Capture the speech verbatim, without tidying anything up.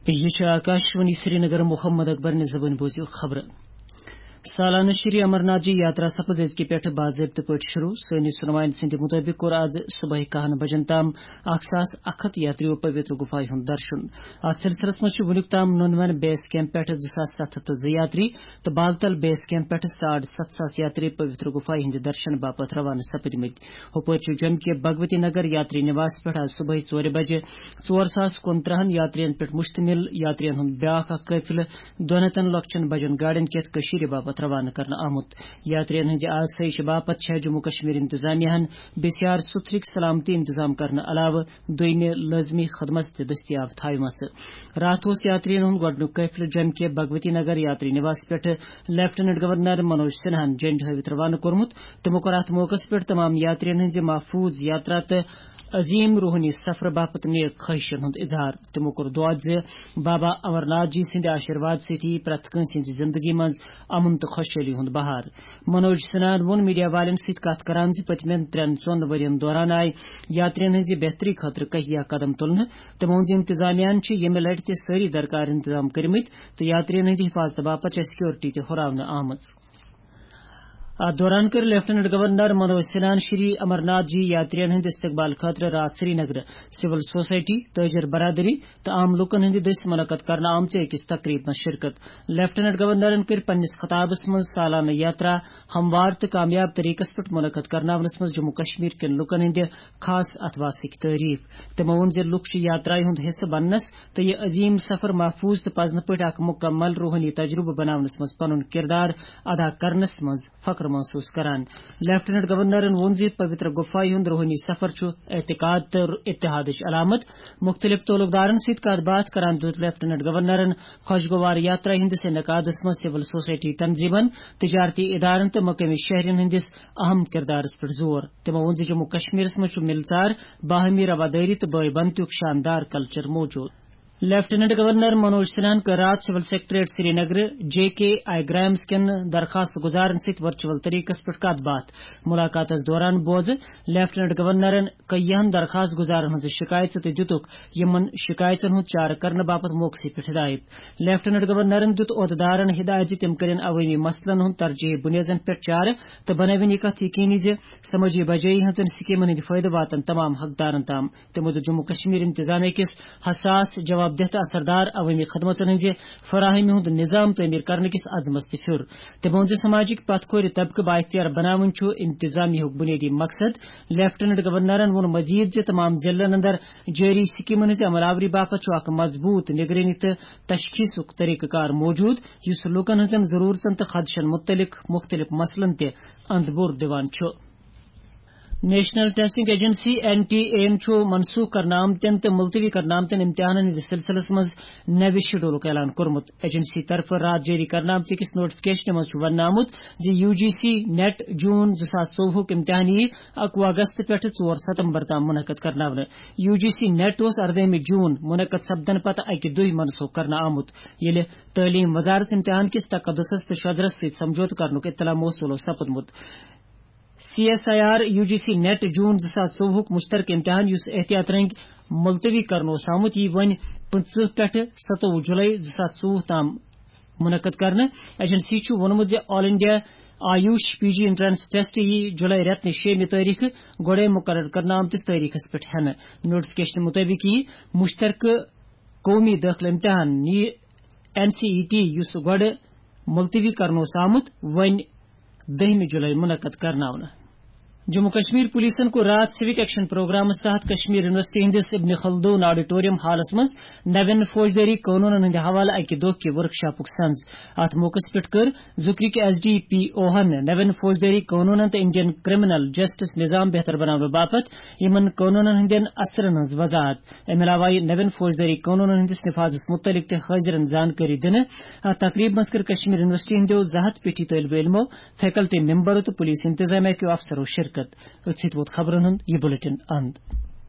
یہِ چھُ آکاشوانی سرینگر۔ محمد اکبر نہِ زبٲنۍ بوٗزِو خبرٕ۔ سالانہٕ شری امرناتھ جی یاترا سپٕز أزکہِ پٮ۪ٹھٕ باضٲبطہٕ پٲٹھۍ شروع۔ سٲنِس سُنوانہِ سٕنٛدِ مُطٲبِق کوٚر آز صُبحٲے کاہَن بجن تام اکھ ساس اکھ ہتھ یاتریو پویتر گُفایہِ ہُنٛد درشُن۔ اتھ سلسلس منٛز چھِ وُنیُک تام نُنوَن بیس کیمپ پٮ۪ٹھٕ زٕ ساس ستھ ہتھ تہٕ زٕ یاتری تہٕ بالتل بیس کیمپ پٮ۪ٹھٕ ساڑ ستھ ساس یاتری پویتر گُفایہِ ہٕنٛدِ درشن باپتھ روانہٕ سپٕدمٕتۍ۔ ہُپٲرۍ چھُ جوٚمہِ کہِ بھگوتی نگر یاتری نِواس پٮ۪ٹھ آز صُبحٲے ژورِ بجہِ ژور ساس کُنترٕہن یاترین پٮ۪ٹھ مشتمل یاترین ہُنٛد بیٛاکھ اکھ قٲفلہٕ دۄن ہتن لۄکچن بجن گاڑٮ۪ن کٮ۪تھ کٔشیٖرِ باپتھ روانہٕ کرنہٕ آمُت۔ یاترین ہٕنٛزِ آسٲیشہِ باپتھ چھےٚ جموں کشمیر انتظامیہ ہن بے سیار سُتھرٕکۍ سلامتی انتظام کرنہٕ علاوٕ دوٚیمہِ لٲزمی خدمت تہِ دٔستیاب تھاوِمژٕ۔ راتھ اوس یاترین ہُنٛد گۄڈٕنیُک قٲفلہٕ جوٚمہِ کہِ بھگوتی نگر یاتری نِواس پٮ۪ٹھٕ لیفٹیننٹ گورنر منوج سنہاہن جنڈٕ ہٲوِتھ روانہٕ کوٚرمُت۔ تِمو کوٚر اتھ موقعس پٮ۪ٹھ تمام یاترین ہٕنٛزِ محفوظ یاترا تہٕ عظیم روحٲنی سفرٕ باپتھ نیک خٲہشن ہُنٛد اظہار۔ تِمو کوٚر دعا زِ بابا امرناتھ جی سٕنٛدِ آشیرواد سۭتۍ یِیہِ پرٛٮ۪تھ کٲنٛسہِ ہٕنٛزِ زندگی منٛز امن تہٕ خۄشحٲلی ہُنٛد بہار۔ منوج سنہاہن ووٚن میڈیا والٮ۪ن سۭتۍ کتھ کران زِ پٔتمٮ۪ن ترٛٮ۪ن ژۄن ؤرین دوران آیہِ یاترین ہٕنٛزِ بہتری خٲطرٕ کہیا قدم تُلنہٕ۔ تِمو ووٚن زِ انتظامیہ ہن چھِ ییٚمہِ لٹہِ تہِ سٲری درکار انتظام کٔرمٕتۍ تہٕ یاترین ہٕنٛدِ حفاظتہٕ باپتھ چھےٚ سکیورٹی تہِ ہُراونہٕ آمٕژ۔ اتھ دوران کٔر لیفٹیننٹ گورنر منوج سنہاہن شری امرناتھ جی یاترین ہٕنٛدِ استقبال خٲطرٕ راتھ سرینگرٕ سول سوسائٹی، تاجر برادری تہٕ عام لوٗکن ہٕنٛدِ دٔسۍ منعقد کرنہٕ آمژِ أکِس تقریبہِ منٛز شرکت۔ لیفٹیننٹ گورنرن کٔرۍ پننِس خطابس منٛز سالانہٕ یاترا ہموار تہٕ کامیاب طریقس پٮ۪ٹھ منعقد کرناونس منٛز جموں کشمیر کٮ۪ن لوٗکن ہٕنٛدِ خاص اتھواسٕکۍ تعریف۔ تِمو ووٚن زِ لوٗکھ چھِ یاترایہِ ہُنٛد حصہٕ بننس تہٕ یہِ عظیم سفر محفوظ تہٕ پزنہٕ پٲٹھۍ اکھ مکمل روحٲنی تجربہٕ بناونس منٛز پنُن کردار ادا کرنس منٛز فخر محسوس کران۔ لیفٹیننٹ گورنرن ووٚن زِ پویتر گفایہِ ہُنٛد روحٲنی سفر چھُ اعتقاد تہٕ اتحادٕچ علامت۔ مُختٔلِف تعلقدارن سۭتۍ کتھ باتھ کران دیُت لیفٹیننٹ گورنرن خۄشگوار یاترا ہٕنٛدِس انعقادس منٛز سول سوسائٹی تنظیمن، تجارتی ادارن تہٕ مقٲمی شہرین ہٕنٛدِس اہم کردارس پٮ۪ٹھ زور۔ تِمو ووٚن زِ جموں کشمیرس منٛز چھُ مِلژار، باہمی روادٲری تہٕ بٲے بنتُک شاندار کلچر موجود۔ لیفٹیننٹ گورنر منوج سنہاہن کٔر راتھ سول سیکرٹریٹ سرینگرٕ جے کے آئی گرامز کٮ۪ن درخواست گزارن سۭتۍ ورچوئل طریقس پٮ۪ٹھ کتھ باتھ۔ ملاقاتس دوران بوزٕ لیفٹیننٹ گورنرن کیہن درخواست گزارن ہٕنٛز شکایژٕ تہٕ دِتُکھ یِمن شکایژن ہُنٛد چارٕ کرنہٕ باپتھ موقعس پٮ۪ٹھ ہدایت۔ لیفٹیننٹ گورنرن دیُت عہدٕدارن ہدایت زِ تِم کٔرِن عوٲمی مسلن ہُنٛد ترجیحی بُنیادن پٮ۪ٹھ چارٕ تہٕ بنٲوِن یہِ کتھ یقینی زِ سمٲجی بجٲیی ہٕنٛزن سکیمن ہٕنٛدۍ فٲیدٕ واتن تمام حقدارن تام۔ تِمو دیُت جموں کشمیر انتظامیہ کِس حساس، جواب دہ تہٕ اثردار عوٲمی خدمژن ہٕنٛزِ فراہمی ہُنٛد نظام تعمیٖر کرنہٕ کِس عزمس تہِ پھیُر۔ تِمو ووٚن زِ سماجٕکۍ پتھ کھورِ طبقہٕ بااختیار بناوُن چھُ انتظامیہ ہُک بُنیٲدی مقصد۔ لیفٹیننٹ گورنرن ووٚن مزید زِ تمام ضلعن اندر جٲری سکیمن ہٕنٛزِ عمل آوری باپتھ چھُ اکھ مضبوط نگرٲنی تہٕ تشخیصُک طریقہٕ کار موجود، یُس لوٗکن ہٕنٛزن ضروٗرژن تہٕ خدشن مُتعلق مُختٔلِف مسلن تہِ اند بور دِوان چھُ۔ National Testing Agency, N T A, یَن چھُ منسوخ کرنہٕ آمتٮ۪ن تہٕ ملتوی کرنہٕ آمتٮ۪ن امتحانن ہٕنٛدِس سلسلس منٛز نوِ شیڈولُک اعلان کوٚرمُت۔ ایجنسی طرفہٕ راتھ جٲری کرنہٕ آمژِ أکِس نوٹیفکیشنہِ منٛز چھُ وننہٕ آمُت زِ U G C NET June زٕ ساس ژوٚوُہُک امتحان یِیہِ اَکوُہ اگست پٮ۪ٹھٕ ژور ستمبر تام منعقد کرناونہٕ۔ یو جی سی نیٹ اوس اردٲہمہِ جون منعقد سپدنہٕ پتہٕ اَکہِ دۄہہِ منسوخ کرنہٕ آمُت، ییٚلہِ تعلیٖم وزارت امتحان کِس تقدسس تہٕ شۄدرس سۭتۍ سمجھوتہٕ کرنُک اطلاع موصوٗل اوس سپُدمُت۔ C S I R U G C NET June زٕ ساس ژوٚوُہُک مشترکہٕ امتحان، یُس احتیاط رنگۍ ملتوی کرنہٕ اوس آمُت، یی وۄنۍ پٕنٛژٕہ پٮ۪ٹھٕ سَتووُہ جُلَے زٕ ساس ژوٚوُہ تام منعقد کرنہٕ۔ ایجنسی چھُ ووٚنمُت زِ آل انڈیا آیوش پی جی انٹرنس ٹیسٹ یی جُلَے رٮ۪تہٕ نہِ شیٚیِمہِ تٲریخہٕ گۄڈَے مقرر کرنہٕ آمتِس تٲریخس پٮ۪ٹھ ہٮ۪نہٕ۔ نوٹیفکیشن مُطٲبِق یی مشترکہٕ قومی دٲخلہٕ امتحان، یہِ این سی ای ٹی، یُس گۄڈٕ ملتوی کرنہٕ اوس آمُت، وۄنۍ دٔہمہِ جُلَے منعقد کرناونہٕ۔ جموں کشمیر پولیسن کوٚر راتھ سوک ایکشن پروگرامس تحت کشمیر یونیورسٹی ہٕنٛدِس ابن خلدون آڈیٹوریم ہالس منٛز نوین فوجدٲری قونوٗنن ہٕنٛدِ حوالہٕ اکہِ دۄہ کہِ ورکشاپُک سنز۔ اتھ موقعس پٮ۪ٹھ کٔر ذکرٕکۍ ایس ڈی پی او ہن نوین فوجدٲری قونوٗنن تہٕ انڈین کرمنل جسٹس نظام بہتر بناونہٕ باپتھ یِمن قونوٗنن ہٕنٛدٮ۪ن اثرن ہٕنٛز وضاحت۔ امہِ علاوٕ آیہِ نوین فوجدٲری قونوٗنن ہٕنٛدِس نفاذس مُتعلق تہِ حٲضِرن زانکٲری دِنہٕ۔ اتھ تقریبہِ منٛز کٔر کشمیر یونیورسٹی ہٕنٛدیو زٕ ہتھ پیٹھی طٲلبہِ علمو، فیکلٹی ممبرو تہٕ پولیس انتظامیہ کیو افسرو شرکت۔ أتھۍ سۭتۍ ووت خبرن ہُنٛد یہِ بلیٹن اند۔